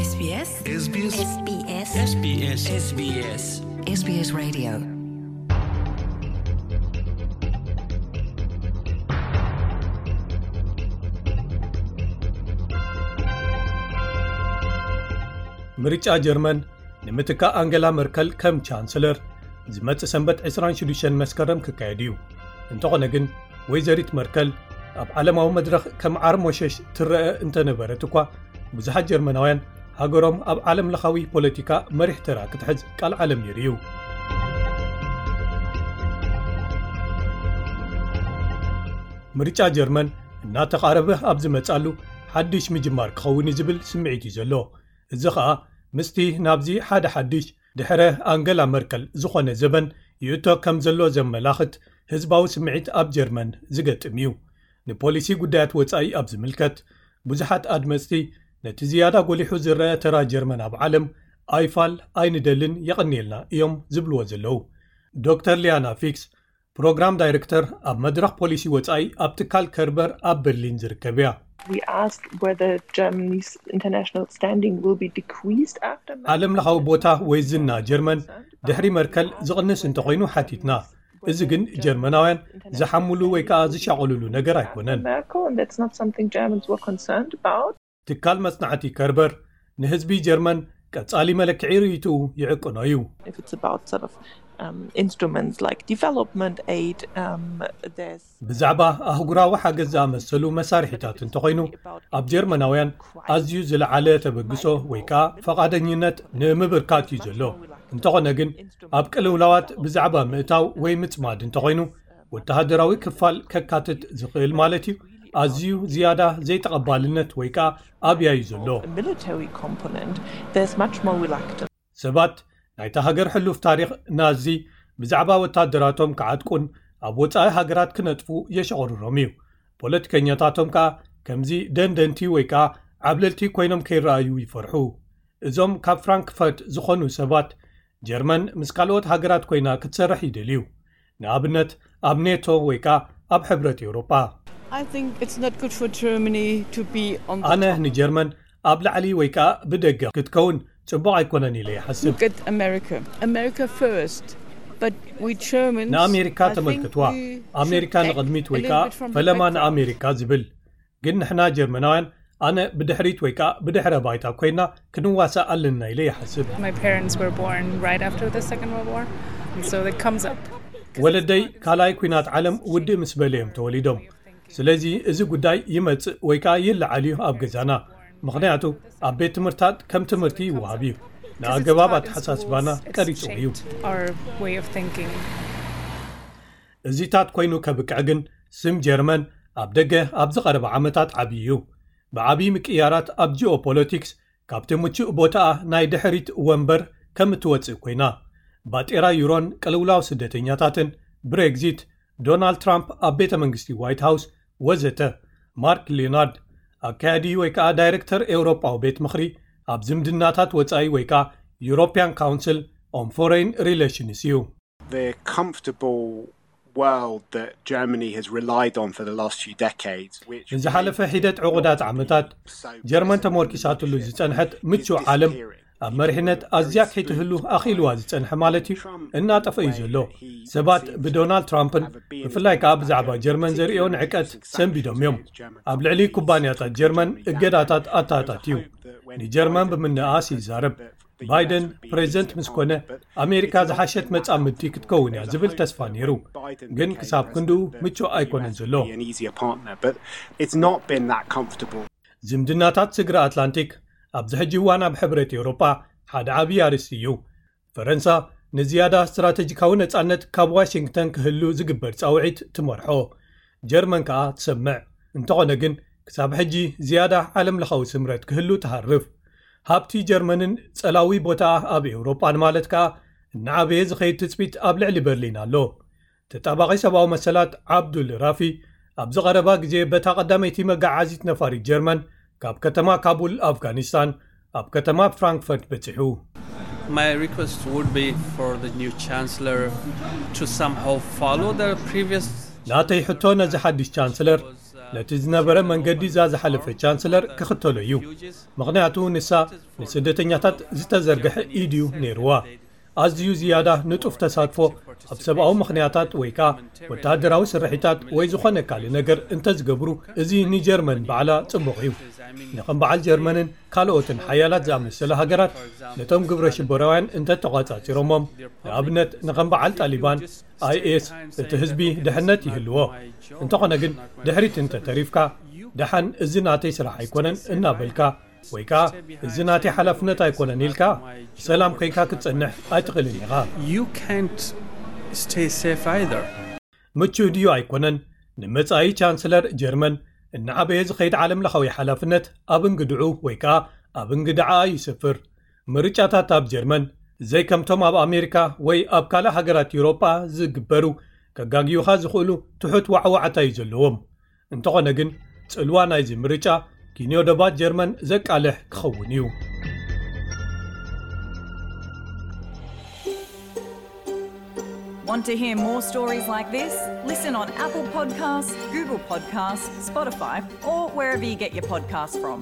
SBS SBS SBS SBS SBS SBS Radio. ምርጫ ጀርመን ንምትካእ ኣንገላ መርከል ከም ቻንስለር ዝመጽእ ሰንበት ዕስራን ሽዱሽተን መስከረም ክካየድ እዩ። እንተኾነ ግን፣ ወይዘሪት መርከል ኣብ ዓለማዊ መድረኽ ከም ዓርሞሸሽ ትረአ እንተነበረት እኳ፣ ብዙሓት ጀርመናውያን ሃገሮም ኣብ ዓለም ለኻዊ ፖለቲካ መሪሕ ተራ ክትሕዝ ቃል ዓለም ነይሩ እዩ። ምርጫ ጀርመን እናተቓረበ ኣብ ዝመጻሉ፣ ሓድሽ ምጅማር ክኸውን እዩ ዝብል ስምዒት እዩ ዘሎ። እዚ ኸኣ ምስቲ ናብዚ ሓደ ሓድሽ ድሕረ ኣንገላ መርከል ዝኾነ ዘበን ይእቶ ከም ዘሎ ዘመላኽት ህዝባዊ ስምዒት ኣብ ጀርመን ዝገጥም እዩ። ንፖሊሲ ጉዳያት ወጻኢ ኣብ ዝምልከት፣ ብዙሓት ኣድመጽቲ ነቲ ዝያዳ ጎሊሑ ዝረአ ተራ ጀርመን ኣብ ዓለም ኣይፋል ኣይንደልን የቐንየልና እዮም ዝብልዎ ዘለዉ። ዶክተር ሊያና ፊክስ፣ ፕሮግራም ዳይሬክተር ኣብ መድረኽ ፖሊሲ ወጻኢ ኣብ ትካል ከርበር ኣብ በርሊን ዝርከብ እያ። We asked whether Germany's international standing will be decreased after Merkel ዓለም ለኻዊ ቦታ ወይ ዝና ጀርመን ድሕሪ መርከል ዝቕንስ እንተኾይኑ ሓቲትና። እዚ ግን ጀርመናውያን ዝሓምሉ ወይ ከኣ ዝሻቐሉሉ ነገር ኣይኮነን። Merkel, and that's not something Germans were concerned about. ትካል መጽናዕቲ ከርበር ንህዝቢ ጀርመን ቀጻሊ መለክዒ ርእይትኡ ይዕቅኖ እዩ። If it's about sort of um, instruments like development aid, um, there's ብዛዕባ ኣህጉራዊ ሓገዝ ዝኣመሰሉ መሳርሒታት እንተኾይኑ፣ ኣብ ጀርመናውያን ኣዝዩ ዝለዓለ ተበግሶ ወይ ከኣ ፈቓደኝነት ንምብርካት እዩ ዘሎ። እንተኾነ ግን፣ ኣብ ቅልውላዋት ብዛዕባ ምእታው ወይ ምጽማድ እንተኾይኑ፣ ወተሃደራዊ ክፋል ከካትት ዝኽእል ማለት እዩ፣ ኣዝዩ ዝያዳ ዘይተቐባልነት ወይ ከኣ ኣብያ እዩ ዘሎ። A military component, there's much more reluctance. ሰባት ናይታ ሃገር ሕሉፍ ታሪኽ ናዚ ብዛዕባ ወታደራቶም ክዓጥቁን ኣብ ወጻኢ ሃገራት ክነጥፉ የሸቑርሮም እዩ። ፖለቲከኛታቶም ከኣ ከምዚ ደንደንቲ ወይ ከኣ ዓብለልቲ ኮይኖም ከይረኣዩ ይፈርሑ። እዞም ካብ ፍራንክፈርት ዝኾኑ ሰባት፣ ጀርመን ምስ ካልኦት ሃገራት ኮይና ክትሰርሕ ይደልዩ። ንኣብነት፣ ኣብ ኔቶ ወይ ከኣ ኣብ ሕብረት ኤውሮጳ። I think it's not good for Germany to be on the ኣነ top. ንጀርመን ኣብ ላዕሊ ወይ ከኣ ብደገ ክትከውን ጽቡቕ ኣይኮነን ኢለ ይሓስብ። Look at America. America first. But we Germans, ንኣሜሪካ I think ተመልክትዋ። we ኣሜሪካ should ንቕድሚት act ወይ a ከኣ little bit from the ፈለማ background. ንኣሜሪካ ዝብል። ግን ንሕና ጀርመናውያን ኣነ ብድሕሪት ወይ ከኣ ብድሕረ ባይታ ኮይና ክንዋሳእ ኣለና ኢለ ይሓስብ። My parents were born right after the Second World War, and so it comes up. ወለደይ ካልኣይ ኲናት ዓለም ውድእ ምስ በለ እዮም ተወሊዶም። ስለዚ እዚ ጉዳይ ይመጽእ ወይ ከኣ ይለዓል እዩ ኣብ ገዛና። ምኽንያቱ ኣብ ቤት ትምህርታት ከም ትምህርቲ ይወሃብ እዩ። ንኣገባብ ኣተሓሳስባና ቀሪጹ እዩ። Our way of thinking. እዚታት ኮይኑ ከብቅዕ ግን ስም ጀርመን ኣብ ደገ ኣብ ዝቐረበ ዓመታት ዓብዪ እዩ። ብዓብዪ ምቅያራት ኣብ ጂኦፖለቲክስ ካብቲ ምቹእ ቦታኣ ናይ ድሕሪት ወንበር ከም እትወጽእ ኮይና፣ ባጤራ ዩሮን ቅልውላው ስደተኛታትን፣ ብሬግዚት፣ ዶናልድ ትራምፕ ኣብ ቤተ መንግስቲ ዋይት ሃውስ ወዘተ። ማርክ ሊዮናርድ፣ ኣካያዲ ወይ ከኣ ዳይሬክተር ኤውሮጳዊ ቤት ምኽሪ ኣብ ዝምድናታት ወጻኢ ወይ ከኣ European Council on Foreign Relations እዩ። The comfortable world that Germany has relied on for the last few decades, which ንዝሓለፈ ሒደት ዕቑዳት ዓመታት ጀርመን ተመርኪሳትሉ ዝጸንሐት ምቹእ ዓለም ኣብ መሪሕነት ኣዝያ ከይትህሉ ኣኽኢልዋ ዝጸንሐ ማለት እዩ፣ እናጠፈ እዩ ዘሎ። ሰባት ብዶናልድ ትራምፕን ብፍላይ ከኣ ብዛዕባ ጀርመን ዘርእዮ ንዕቀት ሰንቢዶም እዮም። ኣብ ልዕሊ ኩባንያታት ጀርመን እገዳታት ኣተኣታትዩ። ንጀርመን ብምንኣስ ይዛረብ። ባይደን ፕሬዚደንት ምስ ኮነ፣ ኣሜሪካ ዝሓሸት መጻምድቲ ክትከውን እያ ዝብል ተስፋ ነይሩ። ግን ክሳብ ክንድኡ ምቹእ ኣይኮነን ዘሎ። An easier partner, but it's not been that comfortable. ዝምድናታት ስግረ ኣትላንቲክ ኣብዚ ሕጂ እዋን ኣብ ሕብረት ኤውሮጳ ሓደ ዓብዪ ኣርእስቲ እዩ። ፈረንሳ ንዝያዳ ስትራተጂካዊ ነጻነት ካብ ዋሽንግተን ክህሉ ዝግበር ጻውዒት ትመርሖ። ጀርመን ከኣ ትሰምዕ። እንተኾነ ግን፣ ክሳብ ሕጂ ዝያዳ ዓለም ለኻዊ ስምረት ክህሉ ትሃርፍ። ሃብቲ ጀርመንን ጸላዊ ቦታኣ ኣብ ኤውሮጳን ማለት ከኣ፣ እናዓበየ ዝኸይድ ትጽቢት ኣብ ልዕሊ በርሊን ኣሎ። ተጣባቒ ሰብኣዊ መሰላት ዓብዱል ራፊ፣ ኣብ ዝቐረባ ግዜ በታ ቀዳመይቲ መጋዓዚት ነፋሪት ጀርመን ካብ ከተማ ካቡል ኣፍጋኒስታን ኣብ ከተማ ፍራንክፈርት በጺሑ። My request would be for the new chancellor to somehow follow the previous ናተይ ሕቶ ነዚ ሓድሽ ቻንስለር ነቲ ዝነበረ መንገዲ እዛ ዝሓለፈ ቻንስለር ክኽተሎ እዩ። ምኽንያቱ ንሳ ንስደተኛታት ዝተዘርግሐ ኢድ እዩ ነይርዋ። ኣዝዩ ዝያዳ ንጡፍ ተሳትፎ ኣብ ሰብኣዊ ምኽንያታት ወይ ከኣ ወተሃደራዊ ስርሒታት ወይ ዝኾነ ካልእ ነገር እንተዝገብሩ፣ እዚ ንጀርመን ባዕላ ጽቡቕ እዩ። ንኸም በዓል ጀርመንን ካልኦትን ሓያላት ዝኣመሰለ ሃገራት ነቶም ግብረ ሽበራውያን እንተተቋጻጺሮሞም፣ ንኣብነት ንኸም በዓል ጣሊባን፣ ኣይኤስ፣ እቲ ህዝቢ ድሕነት ይህልዎ። እንተኾነ ግን ድሕሪት እንተተሪፍካ፣ ደሓን እዚ ናተይ ስራሕ ኣይኮነን እናበልካ፣ ወይ ከኣ እዚ ናተይ ሓላፍነት ኣይኮነን ኢልካ፣ ብሰላም ኮይንካ ክትጸንሕ ኣይትኽእልን ኢኻ። You can't stay safe either. ምቹእ ድዩ ኣይኮነን? ንመጻኢ ቻንስለር ጀርመን እናዓበየ ዝኸይድ ዓለምለኻዊ ሓላፍነት ኣብ እንግድዑ ወይ ከኣ ኣብ እንግድዓ ይስፍር። ምርጫታት ኣብ ጀርመን ዘይከምቶም ኣብ ኣሜሪካ ወይ ኣብ ካልእ ሃገራት ዩሮጳ ዝግበሩ፣ ከጋግዩኻ ዝኽእሉ ትሑት ዋዕዋዕታ እዩ ዘለዎም። እንተኾነ ግን ጽልዋ ናይዚ ምርጫ ኪንዮ ደባት ጀርመን ዘቃልሕ ክኸውን እዩ። Want to hear more stories like this? Listen on Apple Podcasts, Google Podcasts, Spotify, or wherever you get your podcasts from.